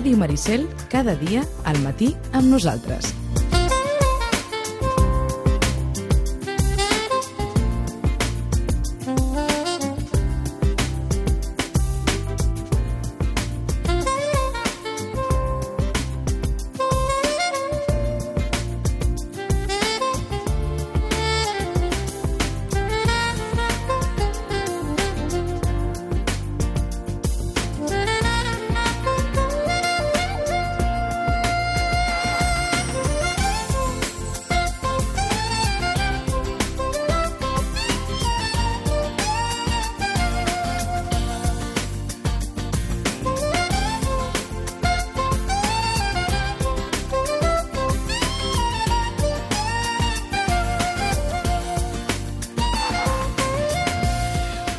Ràdio Maricel, cada dia al matí amb nosaltres.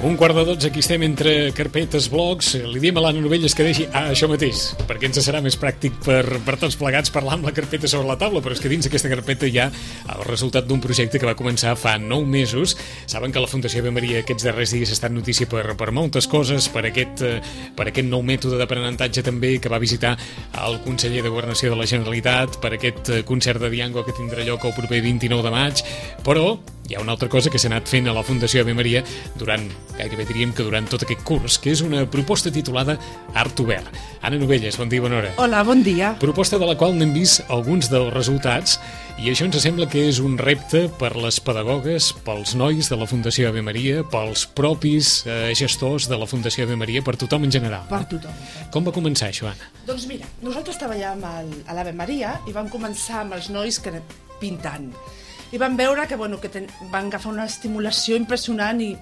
Un quart de 12, aquí estem entre carpetes, blogs. Li diem a l'Anna Novelles que deixi això mateix, perquè ens serà més pràctic per tots plegats parlar amb la carpeta sobre la taula, però és que dins aquesta carpeta hi ha el resultat d'un projecte que va començar fa 9 mesos. Saben que la Fundació Ave Maria aquests darrers dies ha estat notícia per moltes coses, per aquest nou mètode d'aprenentatge també que va visitar el conseller de Governació de la Generalitat, per aquest concert de Diango que tindrà lloc el proper 29 de maig, però hi ha una altra cosa que s'ha anat fent a la Fundació Ave Maria gairebé diríem que durant tot aquest curs, que és una proposta titulada Art Obert. Anna Novelles, bon dia, bona hora. Hola, bon dia. Proposta de la qual n'hem vist alguns dels resultats i això ens sembla que és un repte per les pedagogues, pels nois de la Fundació Ave Maria, pels propis gestors de la Fundació Ave Maria, per tothom en general. Per tothom. Com va començar això, Anna? Doncs mira, nosaltres treballàvem a l'Ave Maria i vam començar amb els nois que pintant. I vam veure que van agafar una estimulació impressionant i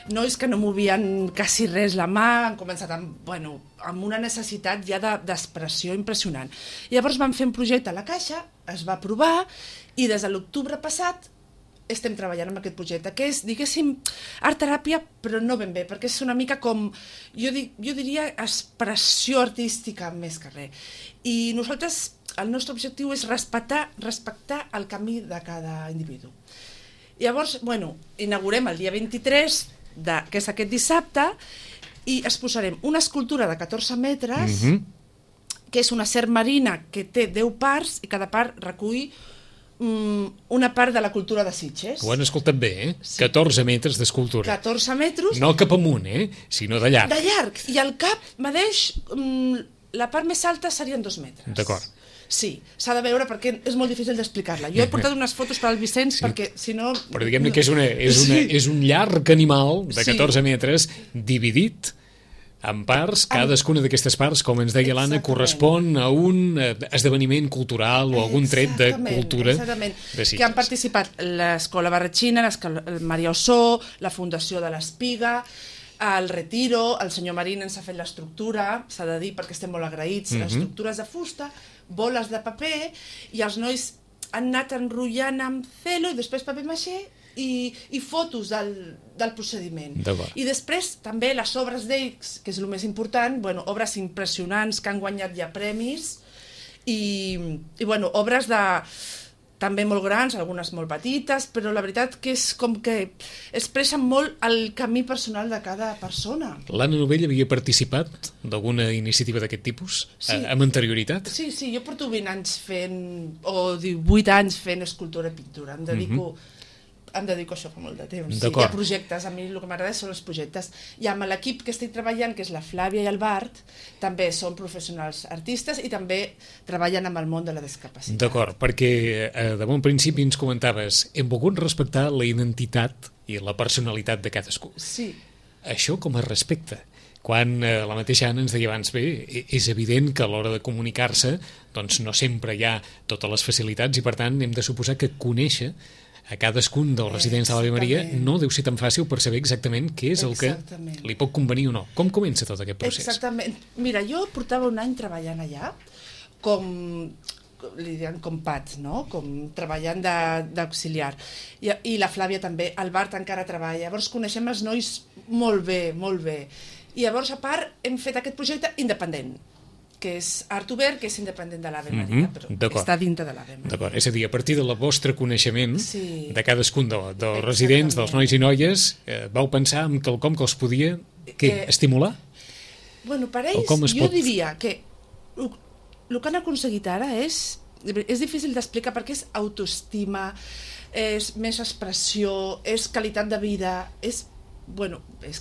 nois que no movien quasi res la mà, han començat amb una necessitat ja d'expressió impressionant. Llavors vam fer un projecte a la Caixa, es va aprovar i des de l'octubre passat estem treballant amb aquest projecte, que és, diguéssim, art-teràpia, però no ben bé, perquè és una mica com, jo diria, expressió artística més que res. I nosaltres, el nostre objectiu és respectar el camí de cada individu. Llavors, inaugurem el dia 23, que és aquest dissabte, i exposarem una escultura de 14 metres, que és una serp marina que té 10 parts, i cada part recull una part de la cultura de Sitges. Ho han escoltat bé, eh? Sí. 14 metres d'escultura. 14 metres. No cap amunt, sinó de llarg. De llarg. I el cap medeix, la part més alta serien 2 metres. D'acord. Sí, s'ha de veure perquè és molt difícil d'explicar-la. Jo he portat unes fotos per al Vicenç perquè, si no... Però diguem-ne que és un llarg animal de 14 metres dividit en parts. Cadascuna d'aquestes parts, com ens deia l'Anna, correspon a un esdeveniment cultural o algun tret de cultura de Sitges. Que han participat l'Escola Barretxina, el Maria Ossó, la Fundació de l'Espiga, el Retiro, el senyor Marín ens ha fet l'estructura, s'ha de dir perquè estem molt agraïts, estructures de fusta, boles de paper, i els nois han anat enrotllant amb celo i després paper maixé i fotos del procediment. I després també les obres d'ells, que és el més important, obres impressionants que han guanyat ja premis i obres també molt grans, algunes molt petites, però la veritat que és com que expressen molt el camí personal de cada persona. L'Anna Novell havia participat d'alguna iniciativa d'aquest tipus? Sí. Amb anterioritat? Sí, jo porto 20 anys fent, o 18 anys fent escultura i pintura. Em dedico a això fa molt de temps. Sí, hi ha projectes, a mi el que m'agrada són els projectes. I amb l'equip que estic treballant, que és la Flàvia i el Bart, també són professionals artistes i també treballen amb el món de la discapacitat. D'acord, perquè de bon principi ens comentaves, hem volgut respectar la identitat i la personalitat de cadascú. Sí. Això com es respecta? Quan la mateixa Anna ens deia abans, és evident que a l'hora de comunicar-se doncs no sempre hi ha totes les facilitats i per tant hem de suposar que conèixer a cadascun dels residents de l'Ave Maria no deu ser tan fàcil per saber exactament què és el que li pot convenir o no. Com comença tot aquest procés? Exactament. Mira, jo portava un any treballant allà li diuen com pats, no? Com treballant d'auxiliar. I la Flàvia també, el Bart encara treballa. Llavors coneixem els nois molt bé, molt bé. I llavors, a part, hem fet aquest projecte independent, que és Art Obert, que és independent de l'Ave Maria, però està dintre de l'Ave Maria. D'acord, és a dir, a partir del vostre coneixement de cadascun dels residents, dels nois i noies, vau pensar en quelcom que els podia estimular? Per ells, jo diria que el que han aconseguit ara és difícil d'explicar perquè és autoestima, és més expressió, és qualitat de vida, és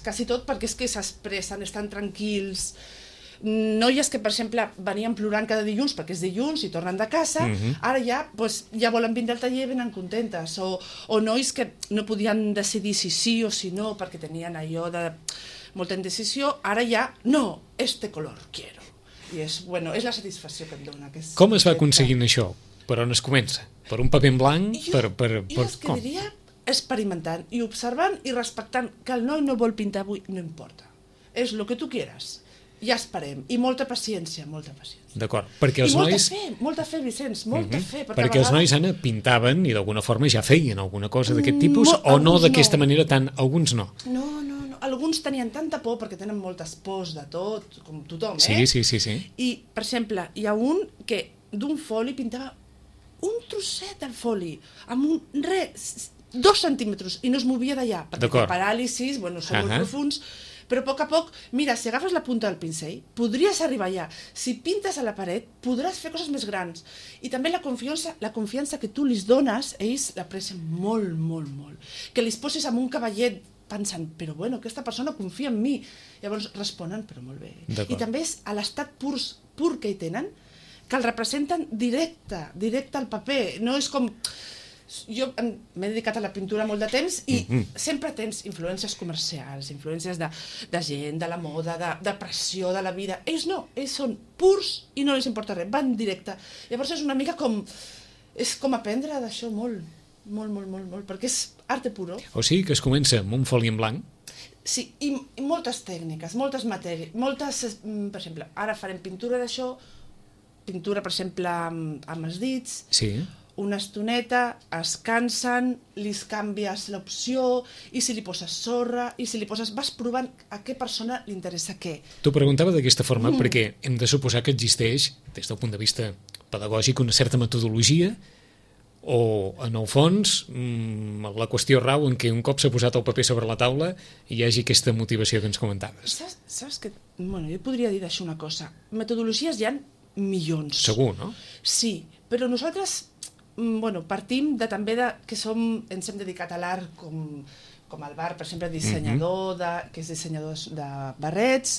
quasi tot perquè és que s'expressen, estan tranquils. Noies que, per exemple, venien plorant cada dilluns perquè és dilluns i tornen de casa, ara ja volen vindre al taller i venen contentes. O nois que no podien decidir si sí o si no perquè tenien allò de molta indecisió, ara ja, no, este color quiero. I és la satisfacció que em dona. Com es va aconseguint això? Per on es comença? Per un paper en blanc? Jo és que diria experimentant i observant i respectant que el noi no vol pintar avui, no importa. És el que tu quieras. Ja esperem. I molta paciència, molta paciència. D'acord, perquè els nois... molta fe, Vicenç, molta fe. Perquè els nois, Anna, pintaven i d'alguna forma ja feien alguna cosa d'aquest tipus, o no d'aquesta manera tant? Alguns no. No. Alguns tenien tanta por perquè tenen moltes pors de tot, com tothom, Sí. I, per exemple, hi ha un que d'un foli pintava un trosset del foli, amb 2 centímetres, i no es movia d'allà, perquè té paràlisis, són molt profuns, però a poc, mira, si agafes la punta del pincell, podries arribar allà. Si pintes a la paret, podràs fer coses més grans. I també la confiança que tu li dones, ells l'aprecien molt, molt, molt. Que li posis amb un cavallet pensant, però aquesta persona confia en mi. Llavors responen, però molt bé. I també és a l'estat pur que hi tenen, que el representen directe al paper. No és com... Jo m'he dedicat a la pintura molt de temps i sempre tens influències comercials, influències de gent, de la moda, de pressió, de la vida. Ells no, ells són purs i no els importa res, van directe. Llavors és una mica com... És com aprendre d'això molt, perquè és arte puro. O sigui que es comença amb un foli en blanc? Sí, i moltes tècniques, moltes matèries, per exemple, ara farem pintura d'això, pintura, per exemple, amb els dits, una estoneta, es cansen, li canvies l'opció, i si li poses sorra, i si li poses... Vas provant a què persona li interessa què. T'ho preguntava d'aquesta forma perquè hem de suposar que existeix, des del punt de vista pedagògic, una certa metodologia, o, en el fons, la qüestió rau en què un cop s'ha posat el paper sobre la taula hi hagi aquesta motivació que ens comentaves. Saps que... jo podria dir d'això una cosa. Metodologies hi ha milions. Segur, no? Sí, però nosaltres... partim també que ens hem dedicat a l'art com el Bar, per exemple, dissenyador, que és dissenyador de barrets,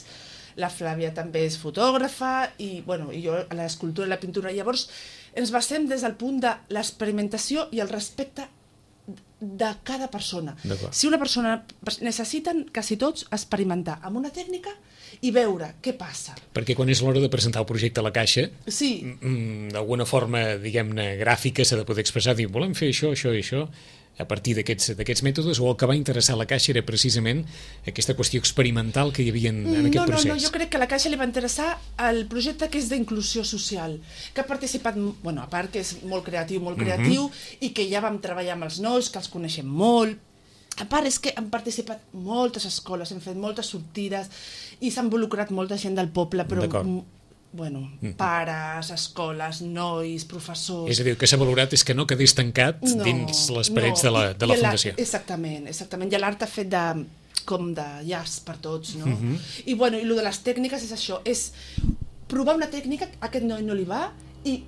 la Flàvia també és fotògrafa, i jo a l'escultura i la pintura. Llavors ens basem des del punt de l'experimentació i el respecte de cada persona. Si una persona... Necessiten, quasi tots, experimentar amb una tècnica i veure què passa. Perquè quan és l'hora de presentar el projecte a la caixa, d'alguna forma, diguem-ne, gràfica, s'ha de poder expressar, dir, volem fer això, això i això, a partir d'aquests mètodes, o el que va interessar a la Caixa era precisament aquesta qüestió experimental que hi havia en aquest procés? No, jo crec que a la Caixa li va interessar el projecte que és d'inclusió social, que ha participat, a part que és molt creatiu, i que ja vam treballar amb els nois, que els coneixem molt. A part és que han participat moltes escoles, hem fet moltes sortides, i s'ha involucrat molta gent del poble, però... pares, escoles, nois, professors... És a dir, el que s'ha valorat és que no quedés tancat dins les parets de la Fundació. Exactament. I l'art ha fet com de llast per tots, no? I el de les tècniques és això, és provar una tècnica, a aquest noi no li va, i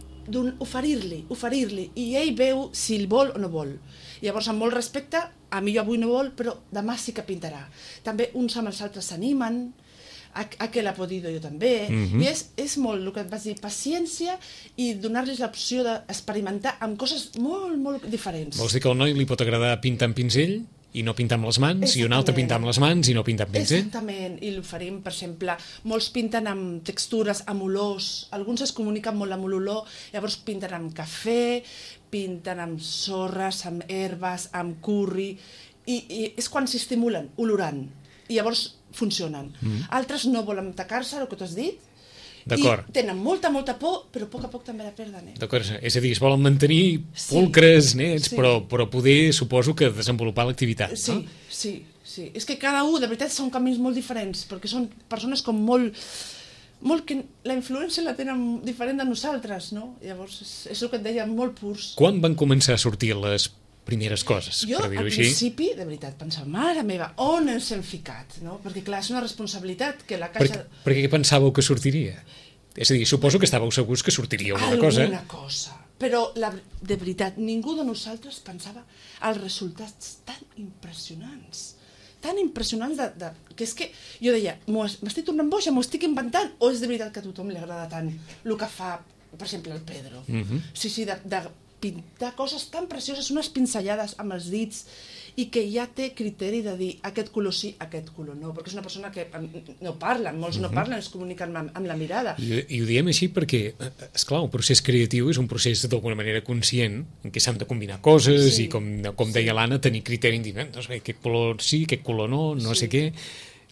oferir-li, i ell veu si el vol o no vol. Llavors, amb molt respecte, a mi avui no vol, però demà sí que pintarà. També uns amb els altres s'animen, a que l'ha podido jo també, i és molt el que et vaig dir, paciència i donar-los l'opció d'experimentar amb coses molt, molt diferents. Vols dir que al noi li pot agradar pintar amb pinzell i no pintar amb les mans, i un altre pintar amb les mans i no pintar amb pinzell? Exactament, i l'oferim, per exemple, molts pinten amb textures, amb olors, alguns es comuniquen molt amb l'olor, llavors pinten amb cafè, pinten amb sorres, amb herbes, amb curri, i és quan s'estimulen, olorant, i llavors funcionen. Altres no volen tacar-se, el que t'has dit, i tenen molta por, però a poc també la perden. D'acord, és a dir, es volen mantenir pulcres, nets, però poder, suposo, que desenvolupar l'activitat, no? Sí. És que cada un, de veritat, són camins molt diferents, perquè són persones com molt que la influència la tenen diferent de nosaltres, no? Llavors, és el que et deia, molt purs. Quan van començar a sortir les primeres coses, per dir-ho així? Jo, al principi, de veritat, pensava, mare meva, on ens hem ficat, no? Perquè, clar, és una responsabilitat que la Caixa... Per què pensàveu que sortiria? És a dir, suposo que estàveu segurs que sortiria alguna cosa. Alguna cosa. Però, de veritat, ningú de nosaltres pensava els resultats tan impressionants. Tan impressionants que és que jo deia, m'estic tornant boja, m'ho estic inventant, o és de veritat que a tothom li agrada tant el que fa, per exemple, el Pedro. Sí, de pintar coses tan precioses, unes pinzellades amb els dits, i que ja té criteri de dir aquest color sí, aquest color no, perquè és una persona que no parlen, molts no parlen, es comuniquen amb la mirada. I ho diem així perquè, esclar, un procés creatiu és un procés d'alguna manera conscient, en què s'han de combinar coses i, com deia l'Anna, tenir criteri independent. Doncs bé, aquest color sí, aquest color no, no sé què.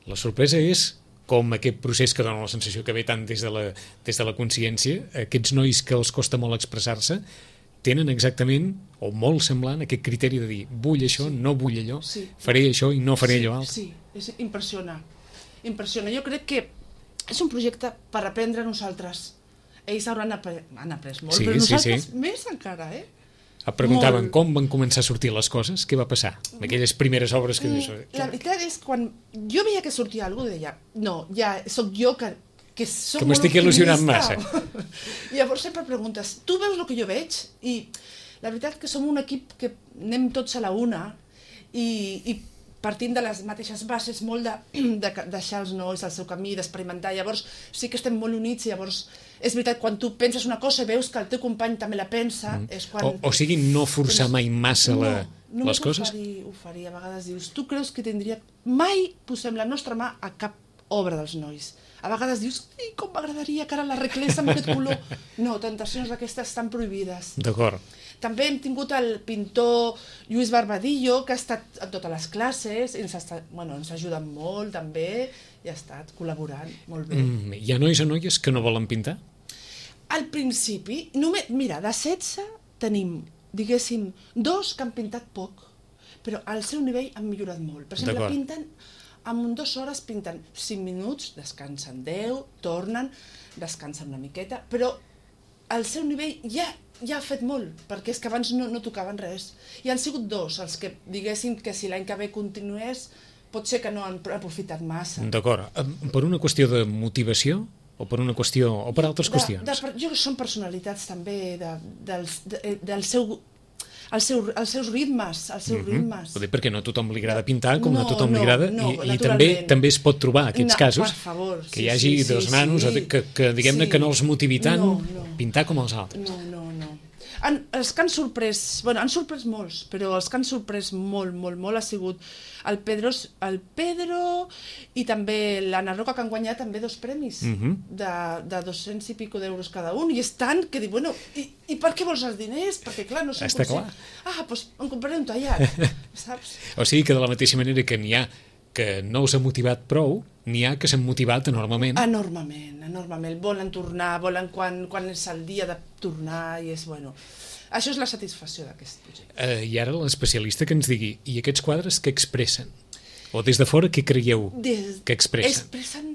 La sorpresa és com aquest procés que dona la sensació que ve tant des de la consciència, aquests nois que els costa molt expressar-se, tenen exactament, o molt semblant, aquest criteri de dir vull això, no vull allò, faré això i no faré allò altre. Sí, impressiona. Jo crec que és un projecte per aprendre a nosaltres. Ells han après molt, però nosaltres més encara, Et preguntaven com van començar a sortir les coses, què va passar? Aquelles primeres obres que dius... La veritat és, quan jo veia que sortia alguna cosa, deia, no, ja sóc jo que m'estic il·lusionant massa. Llavors sempre preguntes, tu veus el que jo veig? I la veritat que som un equip que anem tots a la una i partim de les mateixes bases, molt de deixar els nois al seu camí, d'experimentar. Llavors sí que estem molt units i llavors és veritat, quan tu penses una cosa i veus que el teu company també la pensa, és quan... O sigui, no forçar mai massa les coses? No, oferir. A vegades dius, tu creus que tindria... Mai posem la nostra mà a cap obra dels nois. A vegades dius, com m'agradaria que ara l'arreglés amb aquest color. No, tentacions d'aquestes estan prohibides. D'acord. També hem tingut el pintor Lluís Barbadillo, que ha estat en totes les classes, i ens ha ajudat molt també, i ha estat col·laborant molt bé. Hi ha nois o noies que no volen pintar? Al principi, mira, de 16 tenim, diguéssim, 2 que han pintat poc, però al seu nivell han millorat molt. Per exemple, pinten... En 2 hores pinten 5 minuts, descansen 10, tornen, descansen una miqueta, però al seu nivell ja ha fet molt, perquè és que abans no tocaven res. I han sigut 2 els que diguéssim que si l'any que ve continués, pot ser que no han aprofitat massa. D'acord. Per una qüestió de motivació o per una qüestió o per altres qüestions? Jo són personalitats també del seu... Els seus ritmes, Vull dir, perquè no a tothom li agrada pintar, com no a tothom li agrada, i també es pot trobar aquests casos, que hi hagi 2 nanos que diguem-ne que no els motivi tant pintar com els altres. No. Els que han sorprès, han sorprès molts, però els que han sorprès molt ha sigut el Pedro i també l'Anna Roca, que han guanyat també 2 premis de 200 i pico d'euros cada un, i és tant que dic, i per què vols els diners? Perquè clar, no sé... Està clar. Doncs em compraré un tallat, saps? O sigui que de la mateixa manera que n'hi ha que no us ha motivat prou, n'hi ha que s'han motivat enormement. Enormement. Volen tornar, volen quan és el dia de tornar, i és, això és la satisfacció d'aquest projecte. I ara l'especialista que ens digui, i aquests quadres què expressen? O des de fora què creieu que expressen? Expressen,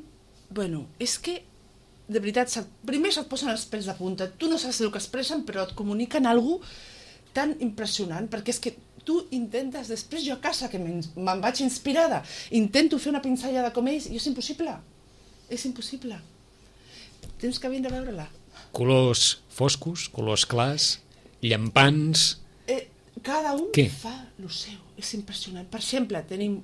és que, de veritat, primer se't posen els pèls de punta, tu no saps el que expressen, però et comuniquen alguna cosa tan impressionant, perquè és que tu intentes, després jo a casa, que me'n vaig inspirada, intento fer una pinzellada com ells, i és impossible. Tens que vindre a veure-la. Colors foscos, colors clars, llampants... Cada un fa el seu, és impressionant. Per exemple, tenim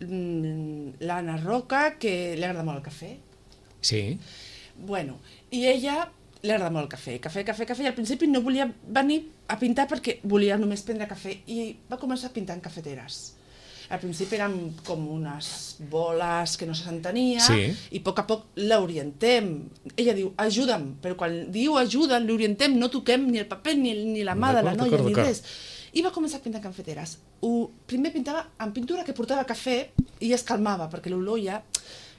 l'Anna Roca, que li agrada molt el cafè. Sí. I ella li agrada molt el cafè, i al principi no volia venir a pintar perquè volia només prendre cafè, i va començar a pintar en cafeteres. Al principi eren com unes boles que no s'entenia, i a poc l'orientem. Ella diu, ajuda'm, però quan diu ajuda, l'orientem, no toquem ni el paper ni la mà de la noia, ni res. I va començar a pintar en cafeteres. Primer pintava en pintura que portava cafè i es calmava, perquè l'olor ja...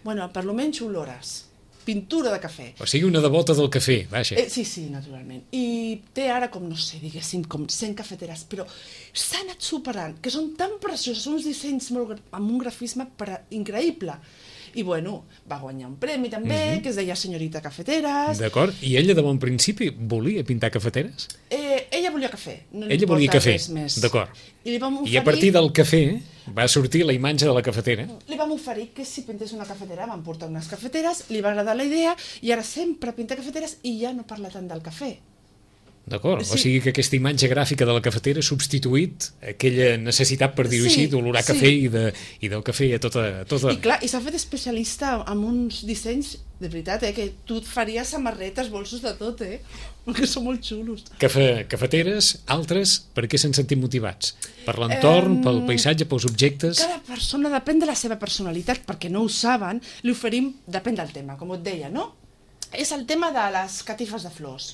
per lo menys olores. Pintura de cafè. O sigui, una devota del cafè, vaja. Sí, naturalment. I té ara com, no sé, diguéssim, com 100 cafeteres, però s'ha anat superant, que són tan precioses, són uns dissenys amb un grafisme increïble. I va guanyar un premi també, que es deia Senyorita Cafeteres. D'acord, i ella de bon principi volia pintar cafeteres? Ella volia cafè. No li Ella volia importa cafè, res més. d'acord. I li vam oferir... I a partir del cafè va sortir la imatge de la cafetera. Li vam oferir que si pintés una cafetera, vam portar unes cafeteres, li va agradar la idea i ara sempre pinta cafeteres i ja no parla tant del cafè. D'acord, Sí. o sigui que aquesta imatge gràfica de la cafetera ha substituït aquella necessitat, per dir-ho Sí, així, d'olorar sí. cafè i del cafè a tota... I clar, i s'ha fet especialista amb uns dissenys, de veritat, que tu et faries samarretes, bolsos de tot, que són molt xulos. Cafeteres, altres, per què s'han sentit motivats? Per l'entorn, pel paisatge, pels objectes? Cada persona depèn de la seva personalitat, perquè no ho saben, li oferim, depèn del tema, com et deia, no? És el tema de les catifes de flors.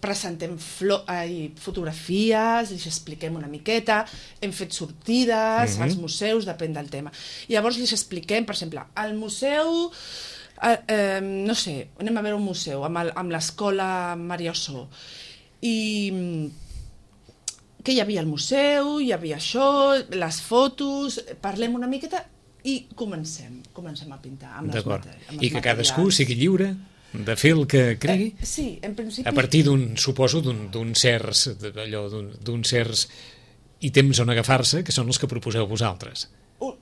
Presentem fotografies, els expliquem una miqueta, hem fet sortides als museus, depèn del tema. I llavors els expliquem, per exemple, al museu, no sé, anem a veure un museu amb l'escola Maria Ossó. I què hi havia al museu, hi havia això, les fotos, parlem una miqueta i comencem a pintar amb els materials. I que cadascú sigui lliure de fer el que cregui? Sí, en principi... A partir d'un certs ítems on agafar-se, que són els que proposeu vosaltres.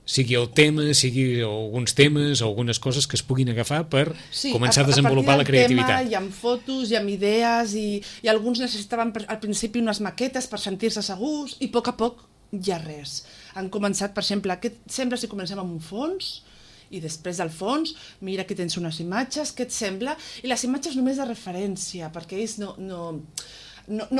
Sigui el tema, sigui alguns temes o algunes coses que es puguin agafar per començar a desenvolupar la creativitat. Tema, hi ha fotos, hi ha idees i alguns necessitaven al principi unes maquetes per sentir-se segurs i a poc hi ha res. Han començat, per exemple, què et sembla si comencem amb un fons? I després del fons, mira que tens unes imatges, què et sembla? I les imatges només de referència, perquè ells no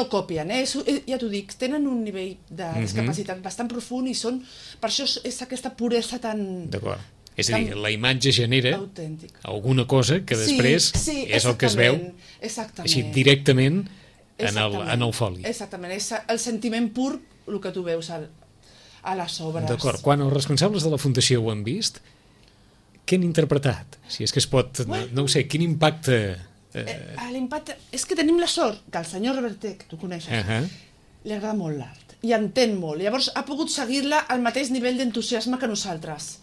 copien, ja t'ho dic, tenen un nivell de discapacitat bastant profund i són, per això és aquesta puresa tan... D'acord. És a dir, la imatge genera autèntica. Alguna cosa que després és el que es veu així directament en el foli. Exactament, és el sentiment pur el que tu veus a les obres. D'acord, quan els responsables de la Fundació ho han vist, què han interpretat? Si és que es pot... No ho sé, quin impacte... L'impacte... És que tenim la sort que el senyor Reverter, que tu coneixes, li agrada molt l'art i entén molt. Llavors ha pogut seguir-la al mateix nivell d'entusiasme que nosaltres.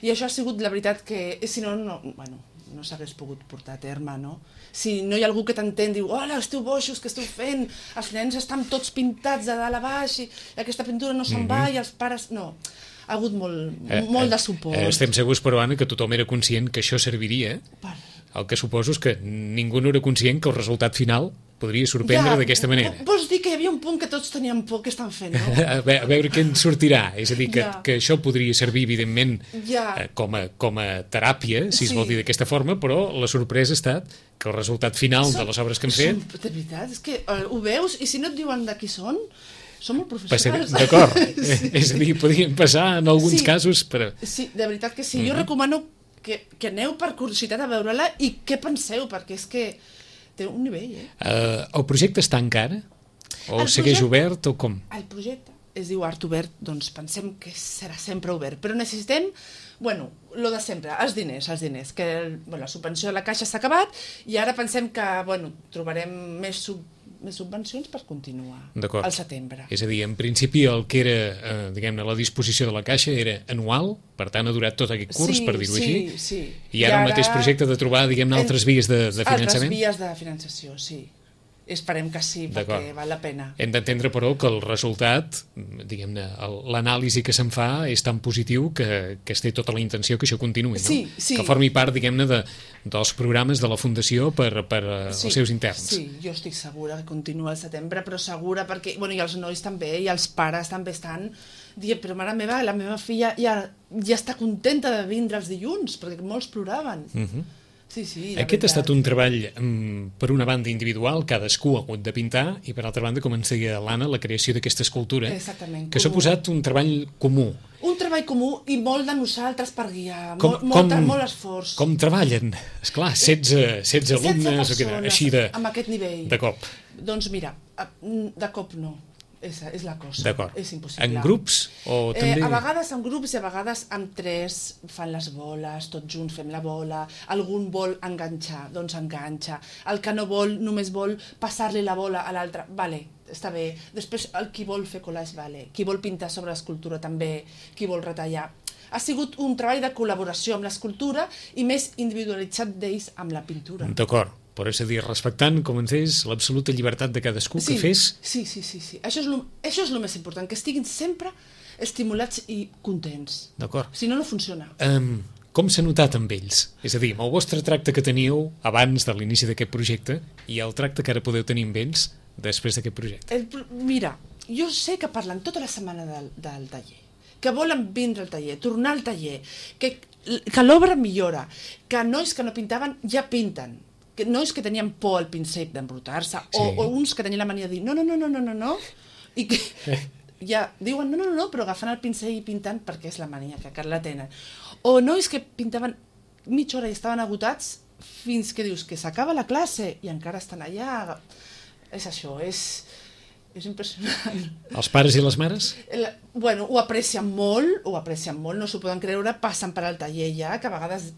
I això ha sigut la veritat que... Si no, no s'hagués pogut portar a terme, no? Si no hi ha algú que t'entén, diu, hola, esteu boixos, què esteu fent? Els nens estan tots pintats de dalt a baix i aquesta pintura no se'n va i els pares... No, ha hagut molt de suport. Estem segurs, però, Anna, que tothom era conscient que això serviria. El que suposo és que ningú no era conscient que el resultat final podria sorprendre d'aquesta manera. Vols dir que hi havia un punt que tots teníem por que estan fent, no? A veure què en sortirà. És a dir, que això podria servir, evidentment, com a teràpia, si es vol dir d'aquesta forma, però la sorpresa ha estat que el resultat final de les obres que han fet... De veritat, és que ho veus i si no et diuen de qui són... Són molt professionals. D'acord. És a dir, podrien passar en alguns casos... Sí, de veritat que sí. Jo recomano que aneu per curiositat a veure-la i què penseu, perquè és que té un nivell, El projecte està encara? O segueix obert o com? El projecte es diu Art Obert, doncs pensem que serà sempre obert, però necessitem, lo de sempre, els diners, que la subvenció de la Caixa s'ha acabat i ara pensem que, trobarem més subvencions per continuar al setembre. És a dir, en principi el que era, diguem-ne, la disposició de la Caixa era anual, per tant ha durat tot aquest curs, per dir-ho així, i ara el mateix projecte de trobar, diguem-ne, altres vies de finançament? Altres vies de finançació, sí. Esperem que sí, perquè val la pena. Hem d'entendre, però, que el resultat, diguem-ne, l'anàlisi que se'n fa és tan positiu que es té tota la intenció que això continuï, no? Sí. Que formi part, diguem-ne, dels programes de la Fundació per als seus interns. Sí, jo estic segura que continua al setembre, però segura perquè, i els nois també, i els pares també estan dient, però mare meva, la meva filla ja està contenta de vindre els dilluns, perquè molts ploraven. Sí, aquest ha estat un treball, per una banda individual, cadascú ha hagut de pintar, i per altra banda, com ens deia l'Anna, la creació d'aquesta escultura, que s'ha posat un treball comú. Un treball comú i molt de nosaltres per guiar, molt esforç. Com treballen? Esclar, 16 alumnes, així amb aquest nivell. De cop. Doncs mira, de cop no. És la cosa, és impossible. En grups? O també... A vegades en grups i a vegades amb 3 fan les boles, tots junts fem la bola, algun vol enganxar, doncs enganxa, el que no vol només vol passar-li la bola a l'altre, vale, està bé, després el qui vol fer collage, vale, qui vol pintar sobre l'escultura també, qui vol retallar. Ha sigut un treball de col·laboració amb l'escultura i més individualitzat d'ells amb la pintura. D'acord. Però és a dir, respectant, com ens és, l'absoluta llibertat de cadascú que fes... Sí. Això és el més important, que estiguin sempre estimulats i contents. D'acord. Si no, no funciona. Com s'ha notat amb ells? És a dir, amb el vostre tracte que teníeu abans de l'inici d'aquest projecte i el tracte que ara podeu tenir amb ells després d'aquest projecte. Mira, jo sé que parlen tota la setmana del taller, que volen vindre al taller, tornar al taller, que l'obra millora, que nois que no pintaven ja pinten, que nois que tenien por al pincell d'embrutar-se, o uns que tenien la mania de dir no, i que ja diuen no, però agafant el pincell i pintant perquè és la mania que la tenen. O nois que pintaven mitja hora i estaven agotats fins que dius que s'acaba la classe i encara estan allà. És això, és impressionant. Els pares i les mares? Bueno, ho aprecien molt, no s'ho poden creure, passen per al taller ja, que a vegades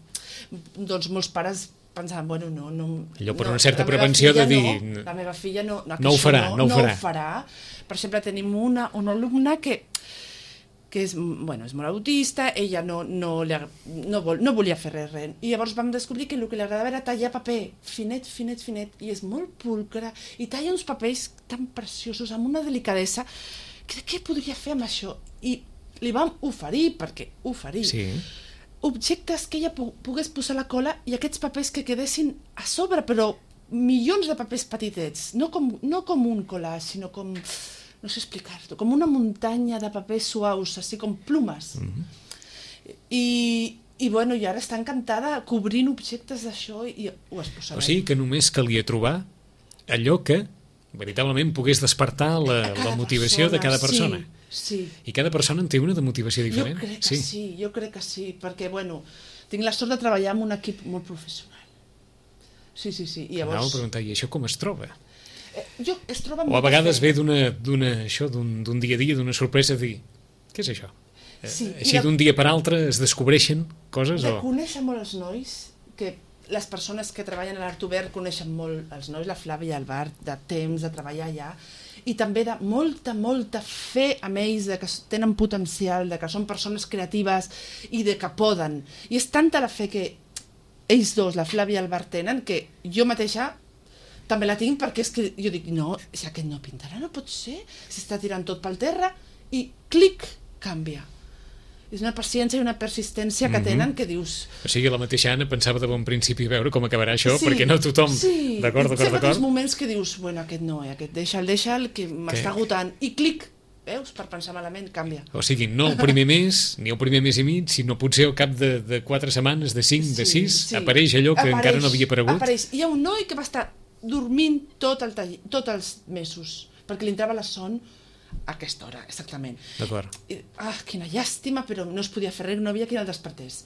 doncs molts pares pensaven, bueno, no... Allò per una certa prevenció de dir... La meva filla no ho farà. Per exemple, tenim una alumna que és molt autista, ella no volia fer res. I llavors vam descobrir que el que li agradava era tallar paper, finet, i és molt pulcre, i talla uns papers tan preciosos, amb una delicadesa, que què podria fer amb això? I li vam oferir objectes que ella pogués posar a la cola i aquests papers que quedessin a sobre, però milions de papers petitets, no com un collage, sinó com... no sé explicar-ho, com una muntanya de papers suaus, així com plumes. I bueno, i ara està encantada cobrint objectes d'això i ho exposarem. O sigui que només calia trobar allò que veritablement pogués despertar la motivació de cada persona. Sí. I cada persona en té una de motivació diferent? Jo crec que sí, perquè bueno, tinc la sort de treballar amb un equip molt professional. Sí. I llavors... Anava a preguntar, i això com es troba? Es troba o a vegades ve d'un dia a dia, d'una sorpresa, dir, què és això? Així d'un dia per altre es descobreixen coses? De conèixer molt els nois, que les persones que treballen a l'Art Obert coneixen molt els nois, la Flàvia i el Bart, de temps de treballar allà, i també de molta fe amb ells, de que tenen potencial, de que són persones creatives i de que poden. I és tanta la fe que ells dos, la Flàvia i el Bart, tenen, que jo mateixa també la tinc, perquè és que jo dic, no, si aquest no pintarà, no pot ser, s'està tirant tot pel terra, i clic, canvia. És una paciència i una persistència que tenen que dius... O sigui, la mateixa Anna pensava de bon principi veure com acabarà això, perquè no tothom... Sí, d'acord. Sempre tens moments que dius, bueno, aquest no, aquest deixa'l, que m'està agotant, i clic, veus, per pensar malament, canvia. O sigui, no el primer mes, ni el primer mes i mig, sinó potser al cap de 4 setmanes, de 5, de 6, apareix allò que encara no havia aparegut. Apareix. Hi ha un noi que va estar dormint tots els mesos, perquè li entrava la son a aquesta hora, exactament. D'acord. Quina llàstima, però no es podia fer res, no havia qui el despertés.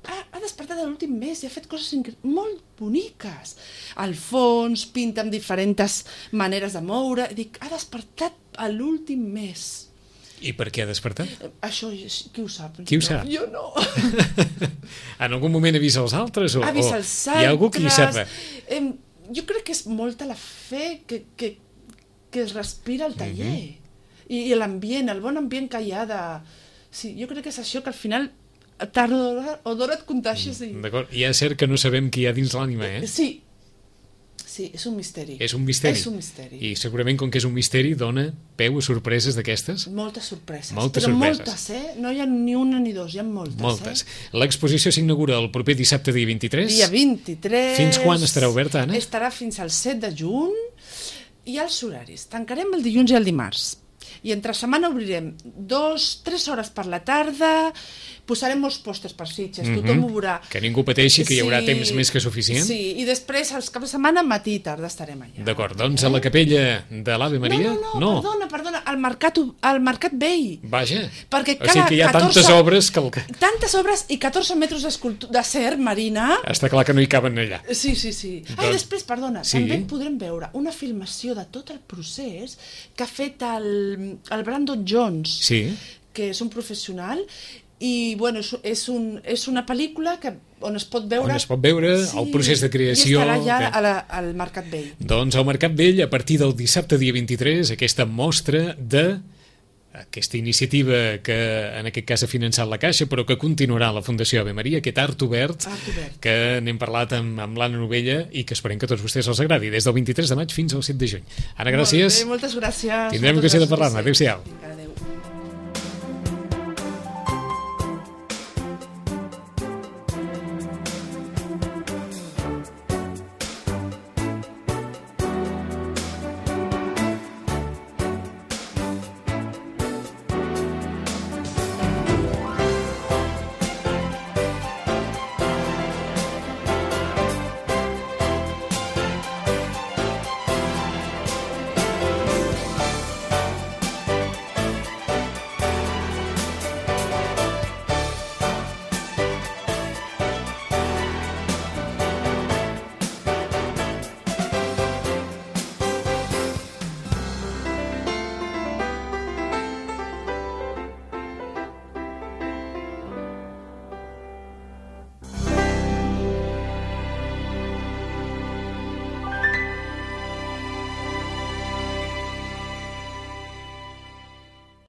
Ha despertat l'últim mes i ha fet coses molt boniques. Al fons, pinta amb diferents maneres de moure, i dic, ha despertat a l'últim mes. I per què ha despertat? Això, qui ho sap? Qui ho sap? Jo no. En algun moment avisa els altres? Avisa els altres. Hi ha algú que hi sap? Jo crec que és molta la fe que es respira al taller. I l'ambient, el bon ambient que hi ha de... Sí, jo crec que és això, que al final tard o d'hora et contagis. D'acord, i és cert que no sabem què hi ha dins l'ànima, Sí, és un misteri. És un misteri. I segurament, com que és un misteri, dona peu a sorpreses d'aquestes? Moltes sorpreses. Moltes, no hi ha ni una ni dos, hi ha moltes. L'exposició s'inaugura el proper dissabte, dia 23. Dia 23. Fins quan estarà oberta, Anna? Estarà fins al 7 de juny. I els horaris. Tancarem el dilluns i el dimarts. I entre setmana obrirem 2-3 hores per la tarda, posarem molts pòsters per Sitges, tothom ho veurà. Que ningú pateixi, que hi haurà temps més que suficient. Sí, i després, els caps de setmana, matí i tarda estarem allà. D'acord, doncs a la capella de l'Ave Maria... No, perdona, al Mercat Vell. Vaja, perquè o sigui que hi ha tantes obres que... Tantes obres i 14 metres d'acer marina... Està clar que no hi caben allà. Sí. I després, perdona, també podrem veure una filmació de tot el procés que ha fet el Brandon Jones, que és un professional, i bueno, és una pel·lícula on es pot veure el procés de creació, i estarà allà al Mercat Vell. Doncs al Mercat Vell, a partir del dissabte dia 23, aquesta mostra de aquesta iniciativa que en aquest cas ha finançat la Caixa, però que continuarà la Fundació Ave Maria, aquest Art Obert, que n'hem parlat amb l'Anna Novella i que esperem que a tots vostès els agradi, des del 23 de maig fins al 7 de juny. Anna, gràcies. Molt bé, moltes gràcies. Tindrem ocasió de parlar-ne. Adéu-siau. Adéu.